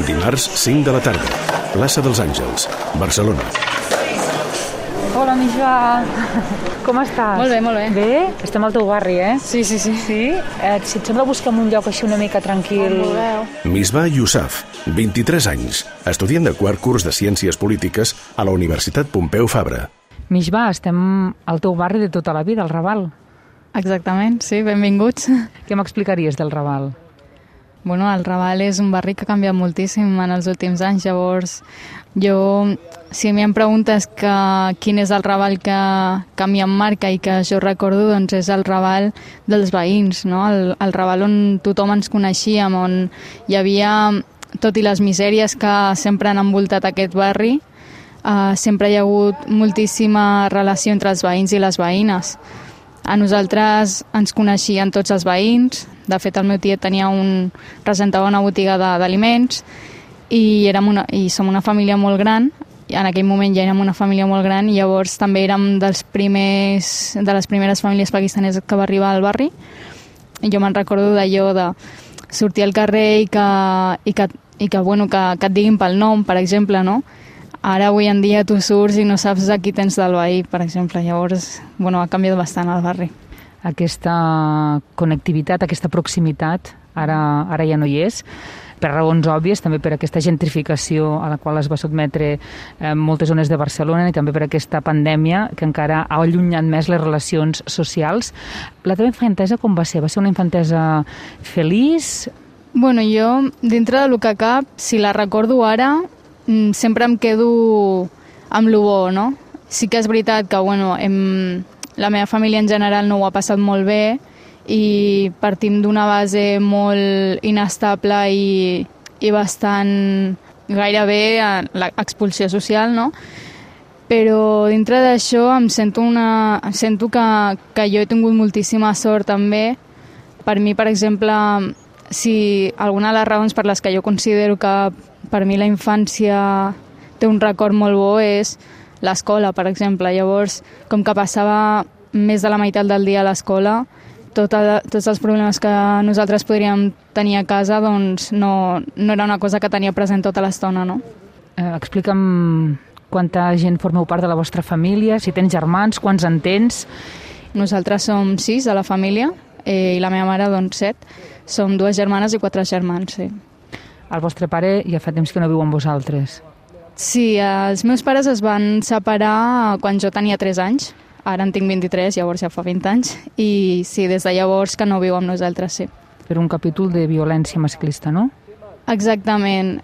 Dimarts, 5 de la tarda. Plaça dels Àngels, Barcelona. Hola, Misbah. Com estàs? Molt bé, molt bé. Bé? Estem al teu barri, eh? Sí. Sí? Si et sembla, busca'm un lloc així una mica tranquil. Misbah Yousaf, 23 anys, estudiant de quart curs de Ciències Polítiques a la Universitat Pompeu Fabra. Misbah, estem al teu barri de tota la vida, al Raval. Exactament, sí, benvinguts. Què m'explicaries del Raval? Bueno, el Raval és un barri que ha canviat moltíssim en els últims anys, llavors si a mi em preguntes quin és el Raval que a mi em marca i que jo recordo, doncs és el Raval dels veïns, no? El Raval on tothom ens coneixíem, on hi havia, tot i les misèries que sempre han envoltat aquest barri, sempre hi ha hagut moltíssima relació entre els veïns i les veïnes. A nosaltres ens coneixien tots els veïns. De fet, el meu tiet presentava una botiga d'aliments i som una família molt gran. En aquell moment ja érem una família molt gran i llavors també érem de les primeres famílies pakistaneses que va arribar al barri. I jo me'n recordo d'allò de sortir al carrer i que et diguin pel nom, per exemple, no? Ara, avui en dia, tu surts i no saps a qui tens del veí, per exemple. Llavors, ha canviat bastant el barri. Aquesta connectivitat, aquesta proximitat, ara ja no hi és, per raons òbvies, també per aquesta gentrificació a la qual es va sotmetre moltes zones de Barcelona i també per aquesta pandèmia que encara ha allunyat més les relacions socials. La teva infantesa com va ser? Va ser una infantesa feliç? Jo, dintre del que cap, si la recordo ara, sempre em quedo amb lo bo, no? Sí que és veritat que, la meva família en general no ho ha passat molt bé i partim d'una base molt inestable i bastant gairebé l'expulsió social, no? Però dintre d'això em sento que jo he tingut moltíssima sort també. Per mi, per exemple, si alguna de les raons per les que jo considero que per mi la infància té un record molt bo és l'escola, per exemple. Llavors, com que passava més de la meitat del dia a l'escola, tots els problemes que nosaltres podríem tenir a casa doncs no era una cosa que tenia present tota l'estona, no? Explica'm quanta gent formeu part de la vostra família, si tens germans, quants en tens? Nosaltres som 6 a la família i la meva mare, 7. Som 2 germanes i 4 germans, sí. El vostre pare ja fa temps que no viu amb vosaltres. Sí, els meus pares es van separar quan jo tenia 3 anys. Ara en tinc 23, llavors ja fa 20 anys. I sí, des de llavors que no viu amb nosaltres, sí. Per un capítol de violència masclista, no? Exactament.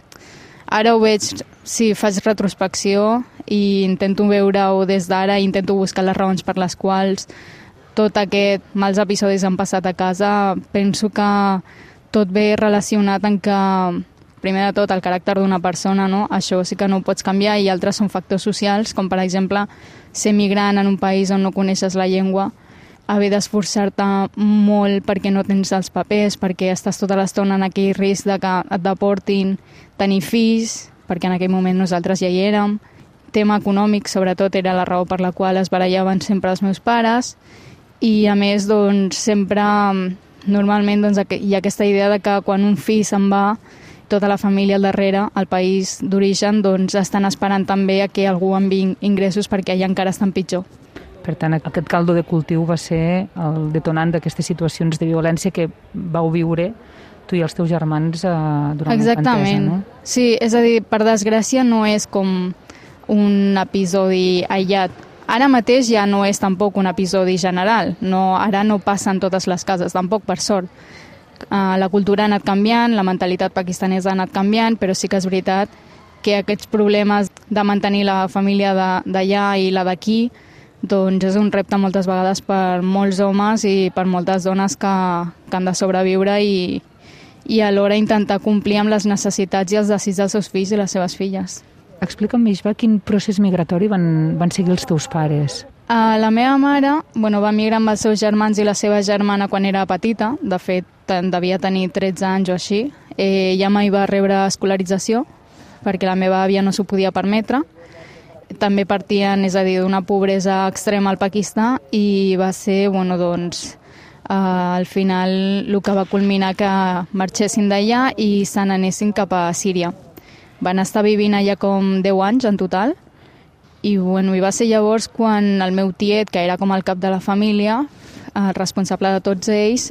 Ara ho veig, sí, faig retrospecció i intento veure-ho des d'ara, intento buscar les raons per les quals tot aquest mals episodis han passat a casa. Penso que tot ve relacionat en que, primer de tot, el caràcter d'una persona, no? Això sí que no ho pots canviar, i altres són factors socials, com per exemple ser migrant en un país on no coneixes la llengua, haver d'esforçar-te molt perquè no tens els papers, perquè estàs tota l'estona en aquell risc de que et deportin, tenir fills, perquè en aquell moment nosaltres ja hi érem. Tema econòmic, sobretot, era la raó per la qual es barallaven sempre els meus pares, i a més, sempre, normalment, hi ha aquesta idea de que quan un fill se'n va, tota la família al darrere, al país d'origen, estan esperant també a que algú enviï ingressos perquè allà encara estan pitjor. Per tant, aquest caldo de cultiu va ser el detonant d'aquestes situacions de violència que vau viure tu i els teus germans durant Exactament. la infantesa, no? Sí, és a dir, per desgràcia no és com un episodi aïllat. Ara mateix ja no és tampoc un episodi general, ara no passa en totes les cases, tampoc, per sort. La cultura ha anat canviant, la mentalitat pakistanesa ha anat canviant, però sí que és veritat que aquests problemes de mantenir la família d'allà i la d'aquí és un repte moltes vegades per molts homes i per moltes dones que han de sobreviure i alhora intentar complir amb les necessitats i els desigs dels seus fills i les seves filles. Explica'm, Misbah, quin procés migratori van seguir els teus pares? La meva mare va migrar amb els seus germans i la seva germana quan era petita. De fet, devia tenir 13 anys o així. Ella mai va rebre escolarització perquè la meva àvia no s'ho podia permetre. També partien, és a dir, d'una pobresa extrema al Pakistan, i va ser, al final el que va culminar que marxessin d'allà i se n'anessin cap a Síria. Van estar vivint allà com 10 anys en total i bueno, i va ser llavors quan el meu tiet, que era com el cap de la família, el responsable de tots ells,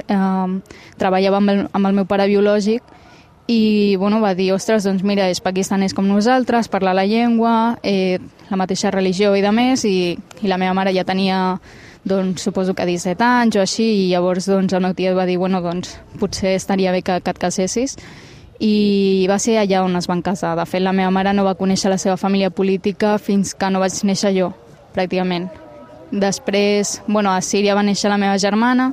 treballava amb el meu pare biològic i bueno, va dir, ostres, doncs mira, és pakistanès com nosaltres, parla la llengua, la mateixa religió i de més, i la meva mare ja tenia, doncs, suposo que 17 anys o així, i llavors doncs, el meu tiet va dir, bueno, doncs potser estaria bé que et casessis, i va ser allà on es van casar. De fet, la meva mare no va conèixer la seva família política fins que no vaig néixer jo, pràcticament. Després, bueno, a Síria va néixer la meva germana,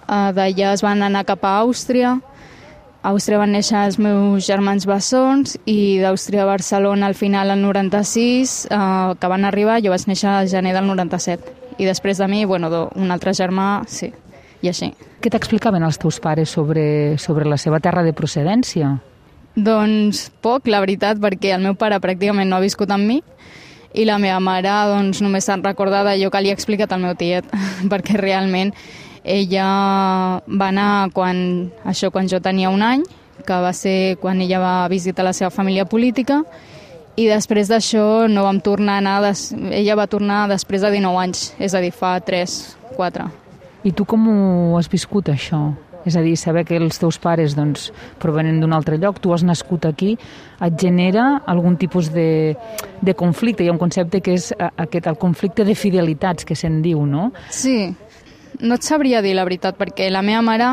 d'allà es van anar cap a Àustria, a Àustria van néixer els meus germans bessons i d'Àustria a Barcelona al final el 96, que van arribar, jo vaig néixer al gener del 97. I després de mi, bueno, un altre germà, sí, i així. Què t'explicaven els teus pares sobre la seva terra de procedència? Doncs poc, la veritat, perquè el meu pare pràcticament no ha viscut amb mi i la meva mare doncs, només se'n recorda d'allò que li ha explicat al meu tiet, perquè realment ella va anar quan jo tenia 1 any, que va ser quan ella va visitar la seva família política, i després d'això no vam tornar a anar, ella va tornar després de 19 anys, és a dir, fa 3-4. I tu com ho has viscut, això? És a dir, saber que els teus pares doncs, provenen d'un altre lloc, tu has nascut aquí, et genera algun tipus de conflicte. Hi ha un concepte que és el conflicte de fidelitats, que se'n diu, no? Sí, no et sabria dir la veritat, perquè la meva mare,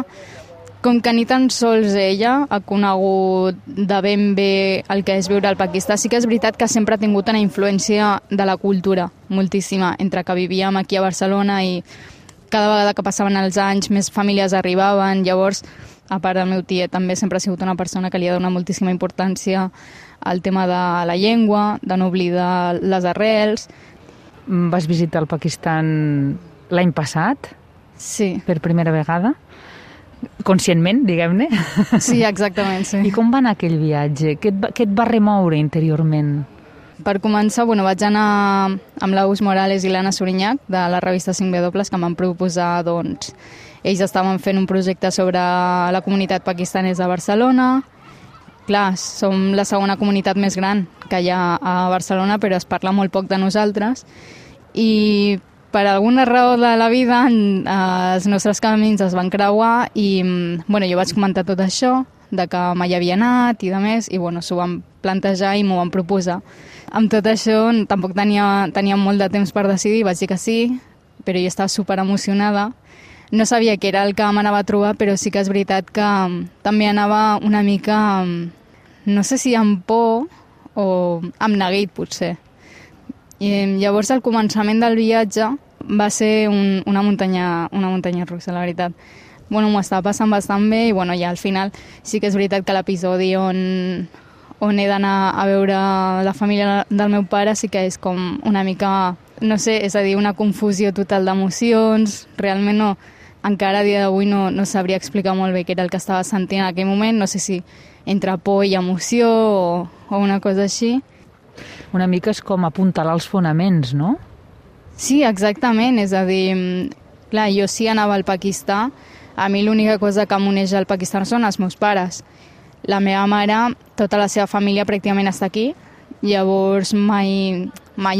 com que ni tan sols ella ha conegut de ben bé el que és viure al Pakistan, sí que és veritat que sempre ha tingut una influència de la cultura, moltíssima, entre que vivíem aquí a Barcelona i cada vegada que passaven els anys més famílies arribaven, llavors, a part del meu tiet, també sempre ha sigut una persona que li ha donat moltíssima importància al tema de la llengua, de no oblidar les arrels. Vas visitar el Pakistan l'any passat? Sí. Per primera vegada? Conscientment, diguem-ne? Sí, exactament, sí. I com va anar aquell viatge? Què et va remoure interiorment? Per començar, bueno, vaig anar amb l'Aus Morales i l'Anna Sorinyac de la revista 5W, que em van proposar, doncs, ells estaven fent un projecte sobre la comunitat pakistanesa a Barcelona. Clar, som la segona comunitat més gran que hi ha a Barcelona, però es parla molt poc de nosaltres. I per alguna raó de la vida els nostres camins es van creuar i bueno, jo vaig comentar tot això, de que mai havia anat i de més, i bueno, s'ho van plantejar i m'ho van proposar. Amb tot això tampoc tenia molt de temps per decidir, vaig dir que sí, però jo estava super emocionada. No sabia què era el que m'anava a trobar, però sí que és veritat que també anava una mica, no sé si amb por o amb neguit, potser. I llavors el començament del viatge va ser una muntanya russa, la veritat. Bueno, m'ho estava passant bastant bé i bueno, ja al final sí que és veritat que l'episodi on he d'anar a veure la família del meu pare sí que és com una mica, no sé, és a dir, una confusió total d'emocions. Realment no, encara a dia d'avui no sabria explicar molt bé què era el que estava sentint en aquell moment, no sé si entre por i emoció o una cosa així. Una mica és com apuntalar els fonaments, no? Sí, exactament, és a dir, clar, jo sí anava al Pakistan, a mi l'única cosa que m'uneix al Pakistan són els meus pares. La meva mare, tota la seva família pràcticament està aquí, llavors mai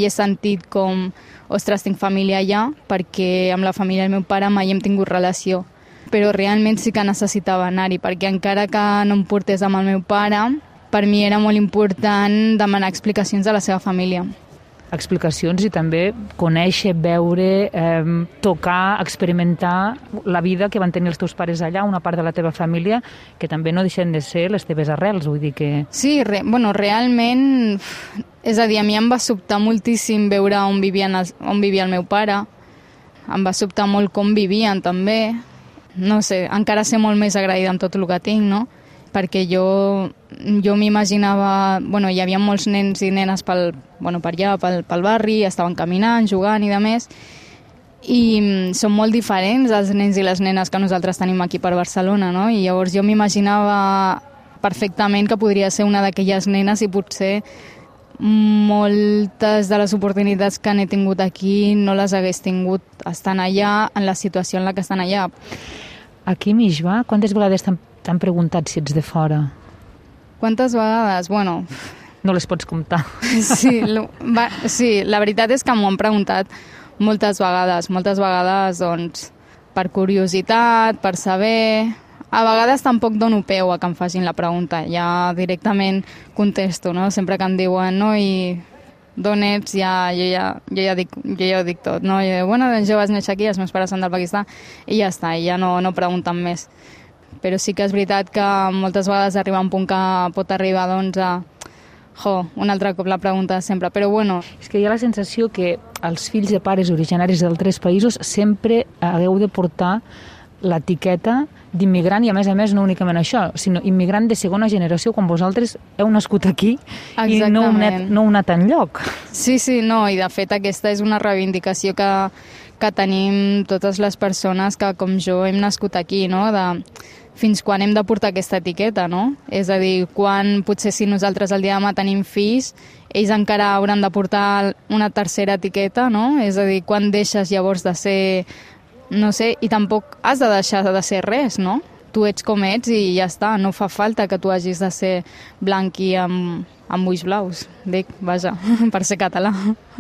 he sentit com, ostres, tinc família allà, perquè amb la família del meu pare mai hem tingut relació. Però realment sí que necessitava anar-hi, perquè encara que no em portés amb el meu pare, per mi era molt important demanar explicacions a la seva família. Explicacions i també conèixer, veure, tocar, experimentar la vida que van tenir els teus pares allà, una part de la teva família, que també no deixen de ser les teves arrels, vull dir que... Sí, realment, és a dir, a mi em va sobtar moltíssim veure on vivia el meu pare, em va sobtar molt com vivien també, no sé, encara ser molt més agraïda amb tot el que tinc, no? Perquè jo m'imaginava... Bueno, hi havia molts nens i nenes per allà, pel barri, estaven caminant, jugant i de més, i són molt diferents els nens i les nenes que nosaltres tenim aquí per Barcelona, no? I llavors jo m'imaginava perfectament que podria ser una d'aquelles nenes i potser moltes de les oportunitats que n'he tingut aquí no les hagués tingut estant allà, en la situació en la que estan allà. Aquí, Mishva, quantes vegades t'han preguntat si ets de fora? Quantes vegades? Bueno... No les pots comptar. Sí, la veritat és que m'ho han preguntat moltes vegades, doncs, per curiositat, per saber... A vegades tampoc dono peu a que em facin la pregunta, ja directament contesto, no? Sempre que em diuen, no, i d'on ets, jo ja ho dic tot, no? Jo, bueno, doncs jo vaig néixer aquí, els meus pares són del Pakistan, i ja està, i ja no pregunten més. Però sí que és veritat que moltes vegades arriba un punt que pot arribar, doncs, un altre cop la pregunta sempre, però bueno... És que hi ha la sensació que els fills de pares originaris d'altres països sempre hagueu de portar l'etiqueta d'immigrant i, a més, no únicament això, sinó immigrant de segona generació quan vosaltres heu nascut aquí. Exactament. I no heu anat enlloc. Sí, no, i de fet aquesta és una reivindicació que tenim totes les persones que, com jo, hem nascut aquí, no?, fins quan hem de portar aquesta etiqueta, no? És a dir, quan potser si nosaltres el dia de demà tenim fills, ells encara hauran de portar una tercera etiqueta, no? És a dir, quan deixes llavors de ser, no sé, i tampoc has de deixar de ser res, no? Tu ets com ets i ja està, no fa falta que tu hagis de ser blanc i amb ulls blaus, dic, vaja, per ser català.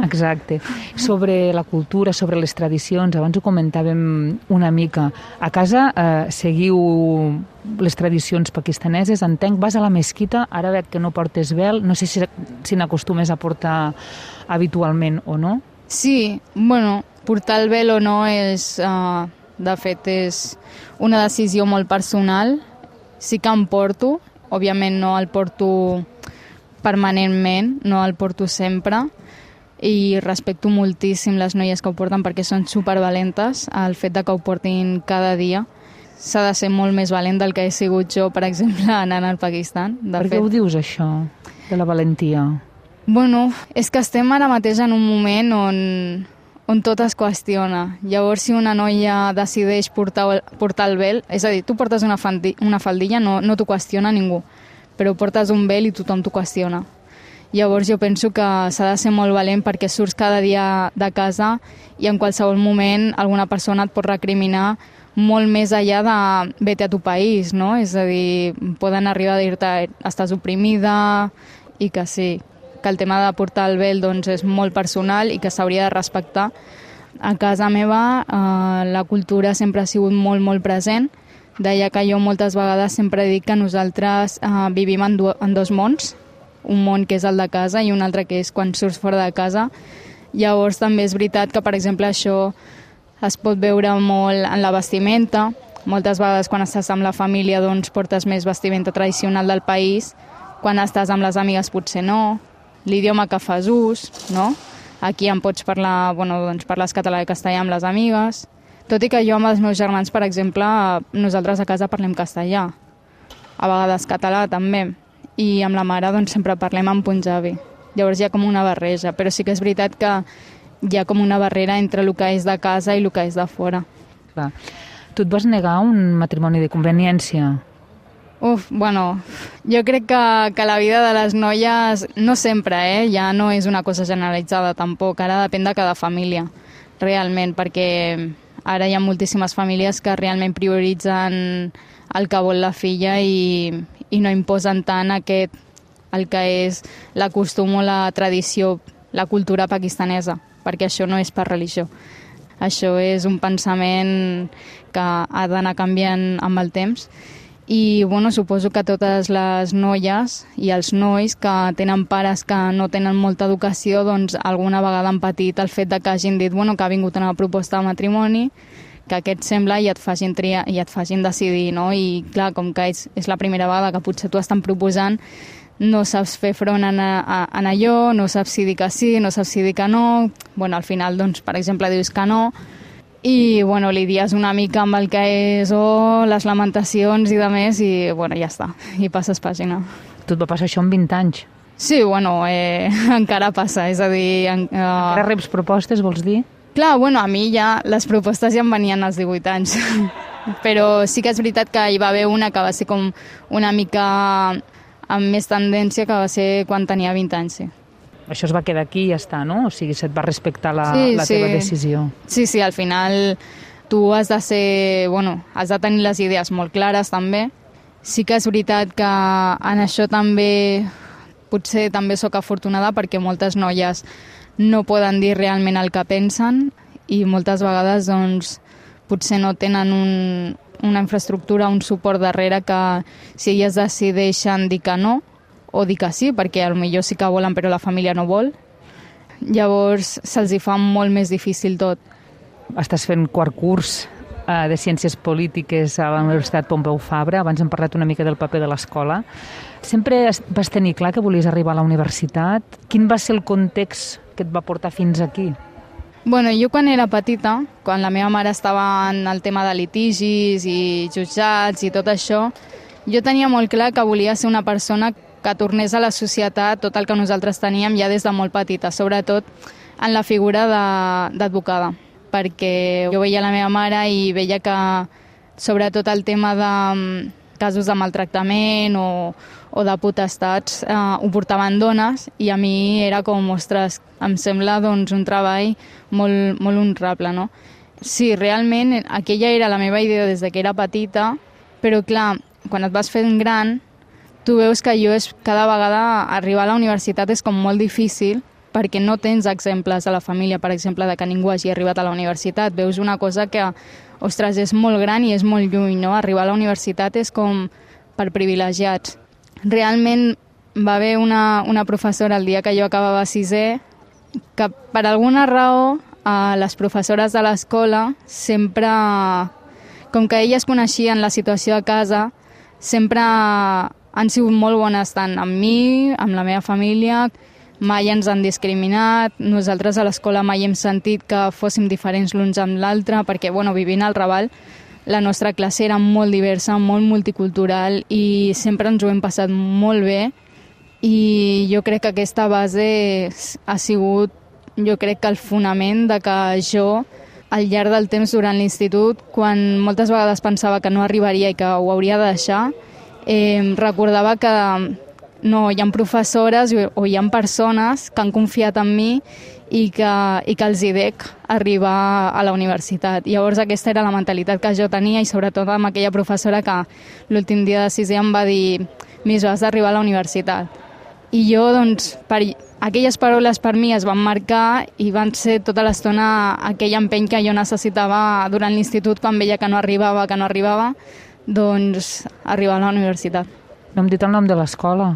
Exacte. Sobre la cultura, sobre les tradicions, abans ho comentàvem una mica. A casa seguiu les tradicions pakistaneses, entenc, vas a la mesquita, ara veig que no portes vel, no sé si n'acostumes a portar habitualment o no. Sí, bueno, portar el vel o no és, de fet, és una decisió molt personal. Sí que em porto, òbviament no el porto permanentment, no el porto sempre, i respecto moltíssim les noies que ho porten perquè són supervalentes. El fet de que ho portin cada dia s'ha de ser molt més valent del que he sigut jo, per exemple, anant al Pakistan. Per què ho dius, això, de la valentia? Bueno, és que estem ara mateix en un moment on tot es qüestiona. Llavors, si una noia decideix portar el vel, és a dir, tu portes una faldilla, no t'ho qüestiona ningú, però portes un vel i tothom t'ho qüestiona. Llavors jo penso que s'ha de ser molt valent perquè surts cada dia de casa i en qualsevol moment alguna persona et pot recriminar molt més enllà de vete a tu país, no? És a dir, poden arribar a dir-te estàs oprimida i que sí, que el tema de portar el vel doncs, és molt personal i que s'hauria de respectar. A casa meva la cultura sempre ha sigut molt, molt present. Deia que jo moltes vegades sempre dic que nosaltres vivim en dos mons, un món que és el de casa i un altre que és quan surts fora de casa. Llavors també és veritat que, per exemple, això es pot veure molt en la vestimenta. Moltes vegades quan estàs amb la família doncs, portes més vestimenta tradicional del país, quan estàs amb les amigues potser no. L'idioma que fas ús, no? Aquí em pots parlar, doncs parles català i castellà amb les amigues. Tot i que jo amb els meus germans, per exemple, nosaltres a casa parlem castellà. A vegades català també. I amb la mare doncs, sempre parlem en punjabi. Llavors hi ha com una barreja. Però sí que és veritat que hi ha com una barrera entre el que és de casa i el que és de fora. Clar. Tu et vas negar un matrimoni de conveniència? Jo crec que la vida de les noies, no sempre, ja no és una cosa generalitzada tampoc. Ara depèn de cada família, realment, perquè ara hi ha moltíssimes famílies que realment prioritzen el que vol la filla i no imposen tant el que és la costum o la tradició, la cultura pakistanesa, perquè això no és per religió. Això és un pensament que ha d'anar canviant amb el temps. I suposo que totes les noies i els nois que tenen pares que no tenen molta educació, doncs alguna vegada han patit el fet de que hagin dit que ha vingut una proposta de matrimoni, que aquest sembla i et facin triar i et facin decidir, no? I clar, com que és la primera vegada que potser t'ho estan proposant, no saps fer front en allò, no saps si dir que sí, no saps si dir que no. Al final, doncs, per exemple, dius que no, i lidies una mica amb el que és les lamentacions i de més i ja està, i passes pàgina. Tu et va passar això amb 20 anys? Sí, encara passa, és a dir... Encara reps propostes, vols dir? Clar, a mi ja les propostes ja em venien als 18 anys, però sí que és veritat que hi va haver una que va ser com una mica amb més tendència, que va ser quan tenia 20 anys, sí. això es va quedar aquí i ja està, no? O sigui, se't va respectar la teva decisió. Sí, al final tu has de has de tenir les idees molt clares també. Sí que és veritat que en això també potser també sóc afortunada perquè moltes noies no poden dir realment el que pensen i moltes vegades doncs, potser no tenen una infraestructura, un suport darrere que si elles decideixen dir que no o dir que sí, perquè potser sí que volen però la família no vol, llavors se'ls hi fa molt més difícil tot. Estàs fent quart curs de Ciències Polítiques a la Universitat Pompeu Fabra. Abans hem parlat una mica del paper de l'escola. Sempre vas tenir clar que volies arribar a la universitat? Quin va ser el context que et va portar fins aquí? Bueno, jo quan era petita, quan la meva mare estava en el tema de litigis i jutjats i tot això, jo tenia molt clar que volia ser una persona que tornés a la societat tot el que nosaltres teníem ja des de molt petita, sobretot en la figura d'advocada, perquè jo veia la meva mare i veia que sobretot el tema de casos de maltractament o de potestats ho portaven dones i a mi era com, ostres, em sembla doncs, un treball molt, molt honrable, no? Sí, realment aquella era la meva idea des que era petita, però clar, quan et vas fent gran, tu veus que cada vegada arribar a la universitat és com molt difícil perquè no tens exemples de la família, per exemple, de que ningú hagi arribat a la universitat. Veus una cosa que, ostres, és molt gran i és molt lluny, no? Arribar a la universitat és com per privilegiats. Realment va haver una professora el dia que jo acabava sisè que per alguna raó les professores de l'escola sempre, com que elles coneixien la situació a casa, sempre han sigut molt bones tant amb mi, amb la meva família, mai ens han discriminat, nosaltres a l'escola mai hem sentit que fóssim diferents l'uns amb l'altre, perquè vivint al Raval la nostra classe era molt diversa, molt multicultural i sempre ens ho hem passat molt bé i jo crec que aquesta base ha sigut, jo crec que el fonament de que jo al llarg del temps durant l'institut, quan moltes vegades pensava que no arribaria i que ho hauria de deixar, recordava que no, hi ha professores o hi ha persones que han confiat en mi i que els hi dec arribar a la universitat. Llavors aquesta era la mentalitat que jo tenia i sobretot amb aquella professora que l'últim dia de sisè em va dir «Miss, has d'arribar a la universitat». I jo, doncs, aquelles paraules per mi es van marcar i van ser tota l'estona aquell empeny que jo necessitava durant l'institut quan veia que no arribava, doncs arribar a la universitat. No hem dit el nom de l'escola.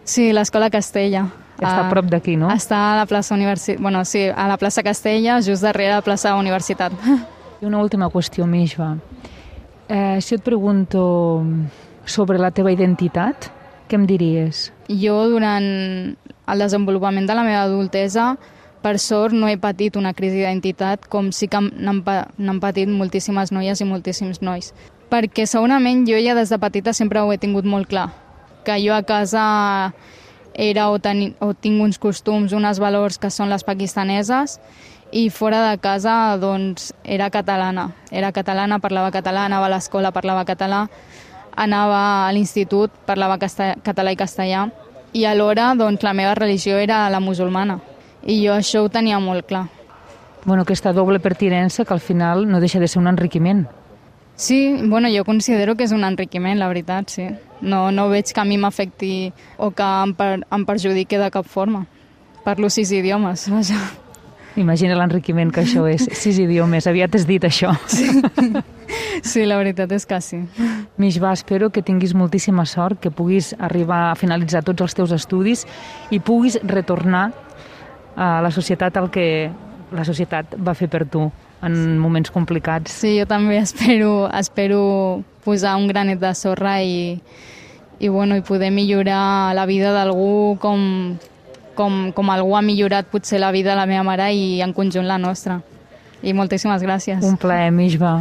Sí, l'Escola Castella. Està a prop d'aquí, no? Està a la plaça a la plaça Castella, just darrere la plaça Universitat. I una última qüestió, Mishva. Si et pregunto sobre la teva identitat, què em diries? Jo, durant el desenvolupament de la meva adultesa, per sort no he patit una crisi d'identitat com sí que n'han patit moltíssimes noies i moltíssims nois. Perquè segurament jo ja des de petita sempre ho he tingut molt clar, que jo a casa era o tinc uns costums, uns valors que són les pakistaneses i fora de casa doncs era catalana. Era catalana, parlava català, anava a l'escola, parlava català, anava a l'institut, parlava català i castellà i alhora doncs la meva religió era la musulmana i jo això ho tenia molt clar. Bueno, aquesta doble pertinença que al final no deixa de ser un enriquiment. Sí, jo considero que és un enriquiment, la veritat, sí. No veig que a mi m'afecti o que em perjudiqui de cap forma. Parlo 6 idiomes, vaja. Imagina l'enriquiment que això és. 6 idiomes, aviat has dit això. Sí, la veritat és que sí. Mishva, espero que tinguis moltíssima sort, que puguis arribar a finalitzar tots els teus estudis i puguis retornar a la societat el que la societat va fer per tu en moments complicats. Sí, jo també espero posar un granet de sorra i poder millorar la vida d'algú com algú ha millorat potser la vida de la meva mare i en conjunt la nostra. I moltíssimes gràcies. Un plaer, Mishva.